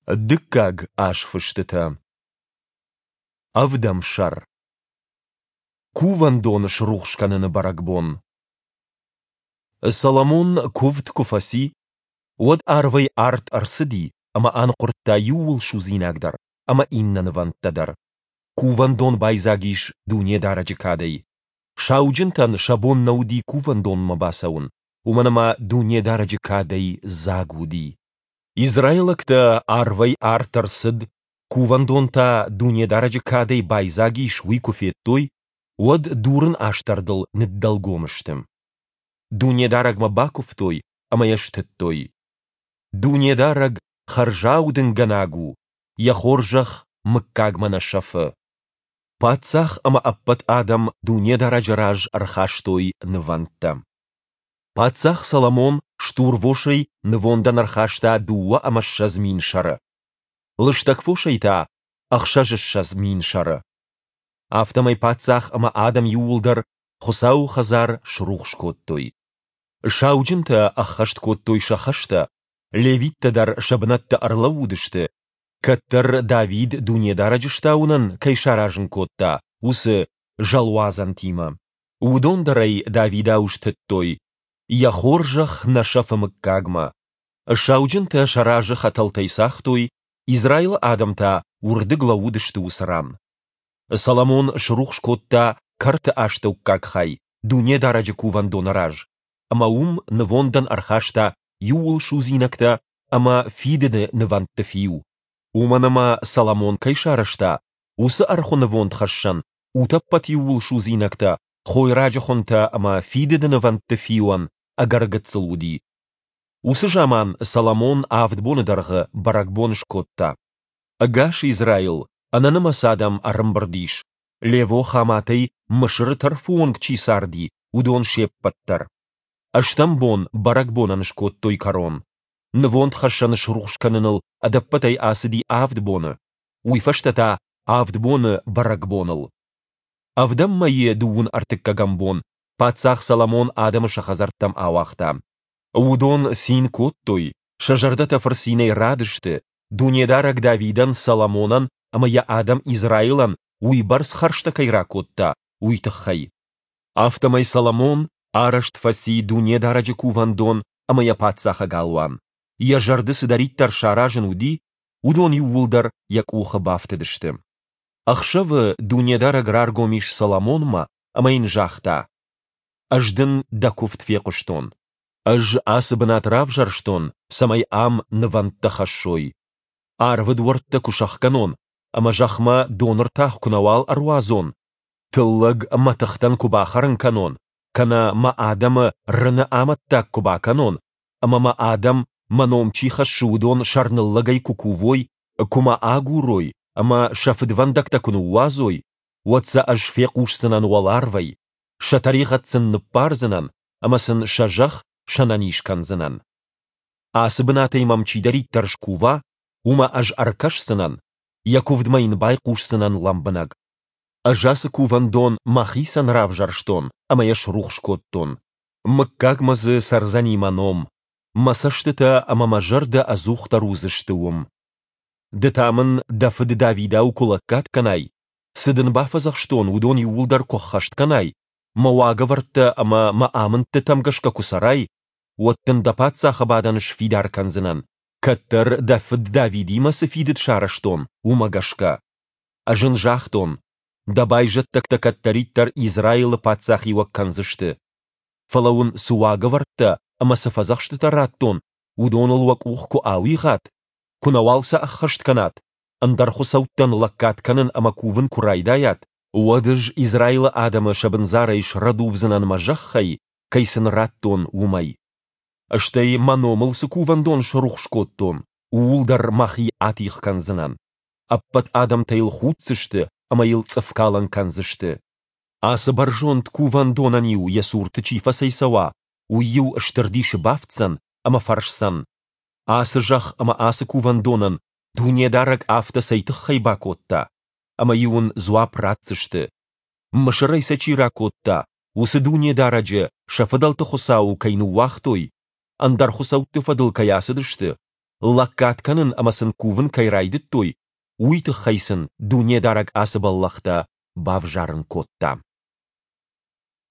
Дыккаг азфыстытӕ. Ӕвдӕм сӕр. Кувӕндон срухс кӕныны бӕрӕгбон. Соломон куывд куы фӕци, уӕд арвӕй арт ӕрцыди ӕмӕ аныхъуырдта иууылсудзинаг дӕр ӕмӕ иннӕ нывӕндтӕ дӕр. Кувӕндон байдзаг ис Дунедарӕджы кадӕй. Сауджынтӕн сӕ бон нӕ уыди кувӕндонмӕ бацӕуын, уымӕн ӕмӕ Дунедарӕджы кадӕй дзаг уыди. Израилӕгтӕ арвӕй арт ӕрцыд, кувӕндон та Дунедарӕджы кадӕй байдзаг ис, уый куы федтой, уӕд дурын астӕрдыл ныддӕлгом сты. Дунедарӕгмӕ бакуывтой ӕмӕ йӕ стыдтой. Дунедарӕг хӕрзаудынгӕнӕг у, йӕ хорзӕх мыггагмӕ нӕ сӕфы. Паддзах ӕмӕ ӕппӕт адӕм Дунедарӕджы раз ӕрхастой нывӕндтӕ. Паддзах Соломон стурвосӕй нывондӕн ӕрхаста 22 000 сӕры, лыстӕг фосӕй та 26 000 сӕры. Афтӕмӕй паддзах ӕмӕ адӕм иууылдӕр Хуыцауы хӕдзар срухс кодтой. Сауджынтӕ ӕххӕст кодтой сӕ хӕстӕ, левиттӕ дӕр сӕ бынӕтты ӕрлӕууыдысты, кӕддӕр Давид Дунедарӕджы стауынӕн кӕй саразын кодта, уыцы зӕлуадзӕнтимӕ. Уыдон дӕр ӕй Давидау стыдтой, йӕ хорзӕх нӕ сӕфы мыггагмӕ. Сауджынтӕ сӕ разы хӕтӕлтӕй цагътой, Израилы адӕм та уырдыг лӕууыдысты уыцы ран. Соломон срухс кодта кӕрты астӕуккаг хай Дунедарӕджы кувӕндоны раз, ӕмӕ уым нывондӕн ӕрхаста иууылсудзинӕгтӕ ӕмӕ фидыды нывӕндты фиу, уымӕн ӕмӕ Соломон кӕй сарӕзта, уыцы ӕрхуы нывондхӕссӕн утӕппӕт иууылсудзинӕгтӕ, хойраджы хуынтӕ ӕмӕ фидыды нывӕндты фиуӕн ӕгӕр гыццыл уыди. Уыцы заман Соломон авд боны дӕргъы бӕрӕгбон скодта. Ӕгас Израил, ӕнӕнымӕц адӕм ӕрӕмбырд ис, Лево-Хаматӕй Мысыры тӕрфы онг чи царди, уыдон се ппӕт дӕр. Ӕстӕм бон бӕрӕгбонӕн скодтой кӕрон. Нывондхӕссӕн срухс кӕныныл ӕдӕппӕтӕй ацыди авд боны, уый фӕстӕ та авд боны бӕрӕгбоныл. Ӕвдӕм мӕйы дыууын ӕртыккӕгӕм бон паддзах Соломон адӕмы сӕ хӕдзӕрттӕм ауагъта. Уыдон цин кодтой, сӕ зӕрдӕтӕ фырцинӕй радысты, Дунедарӕг Давидӕн, Соломонӕн ӕмӕ йӕ адӕм Израилӕн уыйбӕрц хӕрзтӕ кӕй ракодта, уый тыххӕй. Афтӕмӕй Соломон арӕзт фӕци Дунедарӕджы кувӕндон ӕмӕ йӕ паддзахы галуан, йӕ зӕрды цыдӕриддӕр саразын уыди, уыдон иууылдӕр йӕ къухы бафтыдысты. Ӕхсӕвы Дунедарӕг раргом ис Соломонмӕ ӕмӕ йын загъта: Ӕз дын дӕ куывд фехъуыстон. Ӕз ацы бынат равзӕрстон, цӕмӕй ам нывӕндтӕ хӕссой. Арвы дуӕрттӕ куы сӕхгӕнон ӕмӕ зӕхмӕ доны ртах куы нӕуал ӕруадзон, тыллӕг мӕтыхтӕн куы бахӕрын кӕнон, кӕнӕ мӕ адӕмы рыны амӕттаг куы бакӕнон, ӕмӕ мӕ адӕм, мӕ ном чи хӕссы, уыдон сӕрныллӕгӕй куы кувой, куы мӕ агурой ӕмӕ сӕ фыдвӕндӕгтӕ куы ныууадзой, уӕд сӕ ӕз фехъусдзынӕн уӕларвӕй, сӕ тӕригъӕд сын ныббардзынӕн ӕмӕ сын сӕ зӕхх сӕнӕниз кӕндзынӕн. Ацы бынатӕй мӕм чидӕриддӕр скува, уымӕ ӕз ӕркӕсдзынӕн, йӕ куывдмӕ йын байхъусдзынӕн лӕмбынӕг. Ӕз ацы кувӕндон мӕхицӕн равзӕрстон ӕмӕ йӕ срухс кодтон. Мыггагмӕ дзы цӕрдзӕни мӕ ном, мӕ цӕстытӕ ӕмӕ мӕ зӕрдӕ ӕдзухдӕр уыдзысты уым. Ды та мын дӕ фыд Давидау куы лӕггад кӕнай, цы дын бафӕдзӕхстон, уыдон иууылдӕр куы ӕххӕст кӕнай, мӕ уагӕвӕрдтӕ ӕмӕ мӕ амындтытӕм гӕсгӕ куы цӕрай, уӕд дын дӕ паддзахы бадӕн сфидар кӕндзынӕн, кӕддӕр дӕ фыд Давидимӕ цы фидыд сарӕзтон, уымӕ гӕсгӕ. Ӕз ын загътон, дӕ байзӕддӕгтӕ кӕддӕриддӕр Израилы паддзахиуӕг кӕндзысты. Фӕлӕ уын цы уагӕвӕрдтӕ ӕмӕ цы фӕдзӕхстытӕ радтон, уыдоныл уӕ къух куы ауигъат, куы нӕуал сӕ ӕххӕст кӕнат, ӕндӕр хуыцӕуттӕн лӕггад кӕнын ӕмӕ кувын куы райдайат, уӕд ӕз Израилы адӕмы сӕ бындзарӕй срӕдувдзынӕн мӕ зӕххӕй, кӕй сын радтон, уымӕй. Стӕй мӕ номыл цы кувӕндон срухс кодтон, ууыл дӕр мӕхи атигъ кӕндзынӕн. Ӕппӕт адӕмтӕ йыл худдзысты ӕмӕ йыл цъыфкалӕн кӕндзысты. Ацы бӕрзонд кувӕндонӕн-иу йӕ цурты чи фӕцӕйцӕуа, уый-иу стыр дисы бафтдзӕн ӕмӕ фӕрсдзӕн: Ацы зӕхх ӕмӕ ацы кувӕндонӕн Дунедарӕг афтӕ цӕй тыххӕй бакодта? Ӕмӕ-иу ын дзуапп ратдзысты: Мысырӕй сӕ чи ракодта, уыцы Дунедарӕджы, сӕ фыдӕлты Хуыцауы, кӕй ныууагътой, ӕндӕр хуыцӕутты фӕдыл кӕй ацыдысты, Лӕггад кӕнын ӕмӕ сын кувын кӕй райдыдтой, уый тыххӕй сын Дунедарӕг ацы бӕллӕхтӕ бавзарын кодта.